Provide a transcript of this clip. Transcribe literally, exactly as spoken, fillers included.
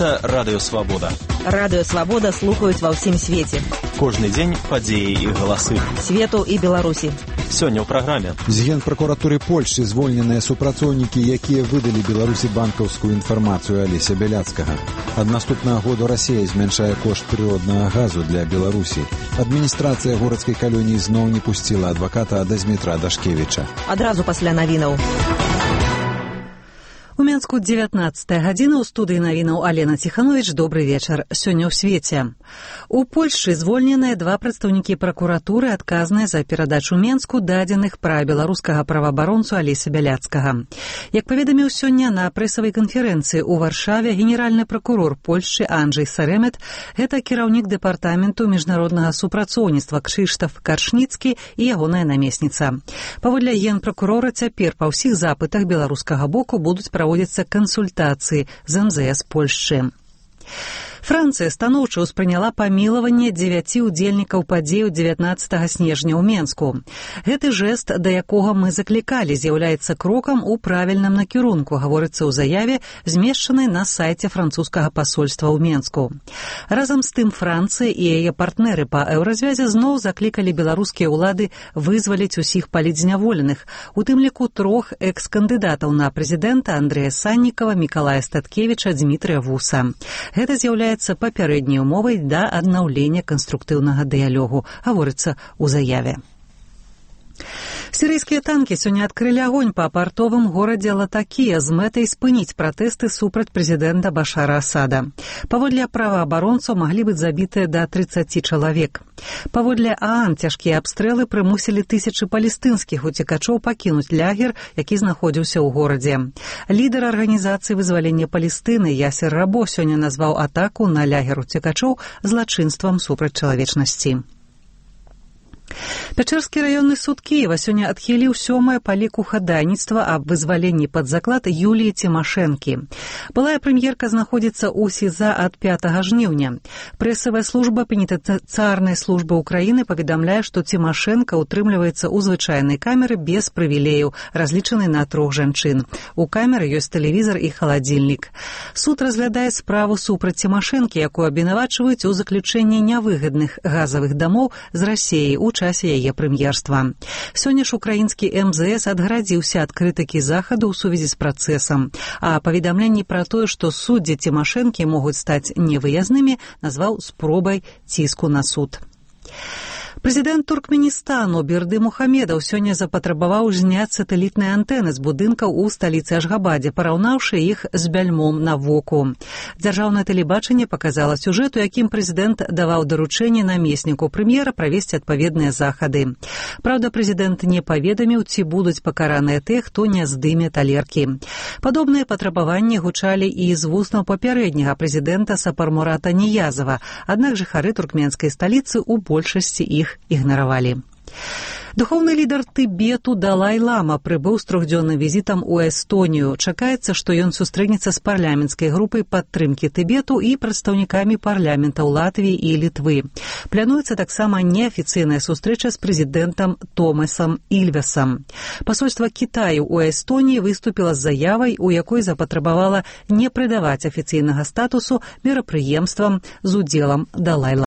Гэта Радыё Свабода. Радыё Свабода слухаюць ва ўсім свеце. Кожны дзень падзеі і галасы. Свету і Беларусі. Сёння ў праграме. З Генпракуратуры Польшчы звольненыя супрацоўнікі, якія выдалі Беларусі банкаўскую інфармацыю Алеся Бяляцкага. Ад наступнага году Расія змяншае кошт прыроднага газу для Беларусі. Адміністрацыя горадскай калоніі зноў не пусціла адваката Дазмітра Дашкевіча. Адразу пасля навінаў. У Менску дзевятнаццатая гадзіна, ў студыі навінаў Алена Ціхановіч. Добры вечар. Сёння ў свеце. У Польшчы звольненыя два прадстаўнікі пракуратуры, адказныя за перадачу Менску дадзеных пра беларускага праваабаронцу Алеся Бяляцкага. Як паведаміў сёння на прэсавай канферэнцыі ў Варшаве генеральны пракурор Польшчы Анджэй Сарэмет, гэта кіраўнік дэпартаменту міжнароднага супрацоўніцтва Крzysztof Каршніцкі і ягоная намесніца. Паводле генпракурора, цяпер па ўсіх запытах беларускага боку будуць праводзяцца кансультацыі з эм зэ эс Польшчы. Францыя станоўча ўспрыняла памілаванне дзевяці ўдзельнікаў падзеяў дзевятнаццатага снежня ў Менску. Гэты жэст, да якога мы заклікалі, з'яўляецца крокам у правільным накірунку, гаворыцца ў заяве, змешчанай на сайце французскага пасольства ў Менску. Разам з тым, Францыя і яе партнеры па еўразвязе зноў заклікалі беларускія ўлады вызваліць усіх палітзняволеных, у тым ліку трох экс-кандыдатаў на прэзідэнта Андрэя Саннікава, Мікалая Статкевіча, Дзмітрыя Вуса. Гэта з'яўляецца папярэдняй умовай да аднаўлення канструктыўнага дыялогу, гаворыцца ў заяве. Сірыйскія танкі сёння адкрылі агонь па партовым горадзе Латакія з мэтай спыніць пратэсты супраць прэзідэнта Башара Асада. Паводле праваабаронцаў маглі быць забітыя да трыццаці чалавек. Паводле ААН цяжкія абстрэлы прымусілі тысячы палестынскіх уцекачоў пакінуць лагер, які знаходзіўся ў горадзе. Лідар арганізацыі вызвалення Палестыны Ясер Рабо сёння назваў атаку на лагер уцекачоў злачынствам супраць чалавечнасці. Пячэрскі раённы суд Кіева сёння адхіліў сёмае па ліку хадайніцтва аб вызваленні пад заклад Юліі Цімашэнкі. Былая прэм'ерка знаходзіцца ў СІЗА ад пятага жніўня. Прэсавая служба пенітэнцыярнай службы ўкраіны паведамляе, што Цімашэнка ўтрымліваецца ў звычайнай камеры без прывілеяў, разлічанай на трох жанчын. У камеры ёсць тэлевізар і халадзільнік. Суд разглядае справу супраць Цімашэнкі, якую абвінавачваюць у заключэнні нявыгадных газавых дамоў з Расіяй у часе яе прэм'ерства. Сёння ж украінскі эм зэ эс адгарадзіўся ад крытыкі захаду ў сувязі з працэсам, а паведамленні пра тое, што суддзі Цімашэнкі могуць стаць невыязнымі, назваў спробай ціску на суд. Прэзідэнт Туркменістану Берды Мухамедаў сёння запатрабаваў зняць сатэлітныя антэны з будынкаў у сталіцы Ашгабадзе, параўнаўшы іх з бяльмом на воку. Дзяржаўнае тэлебачанне паказала сюжэт, у якім прэзідэнт даваў даручэнне намесніку прэм'ера правесці адпаведныя захады. Праўда, прэзідэнт не паведаміў, ці будуць пакараныя тыя, хто не здыме талеркі. Падобныя патрабаванні гучалі і з вуснаў папярэдняга прэзідэнта Сапармурата Ніязава, аднак жыхары туркменскай сталіцы ў большасці іх ігнаравалі. Духоўны лідар Тыбету Далай-лама прыбыў з трохдзённым візітам у Эстонію. Чакаецца, што ён сустрэнецца з парламенцкай групай падтрымкі Тыбету і прадстаўнікамі парламентаў Латвіі і Літвы. Плануецца таксама неафіцыйная сустрэча з прэзідэнтам Томасам Ільвесам. Пасольства Кітаю ў Эстоніі выступіла з заявай, у якой запатрабавала не прыдаваць афіцыйнага статусу мерапрыемствам з удзелам Далай-ламы.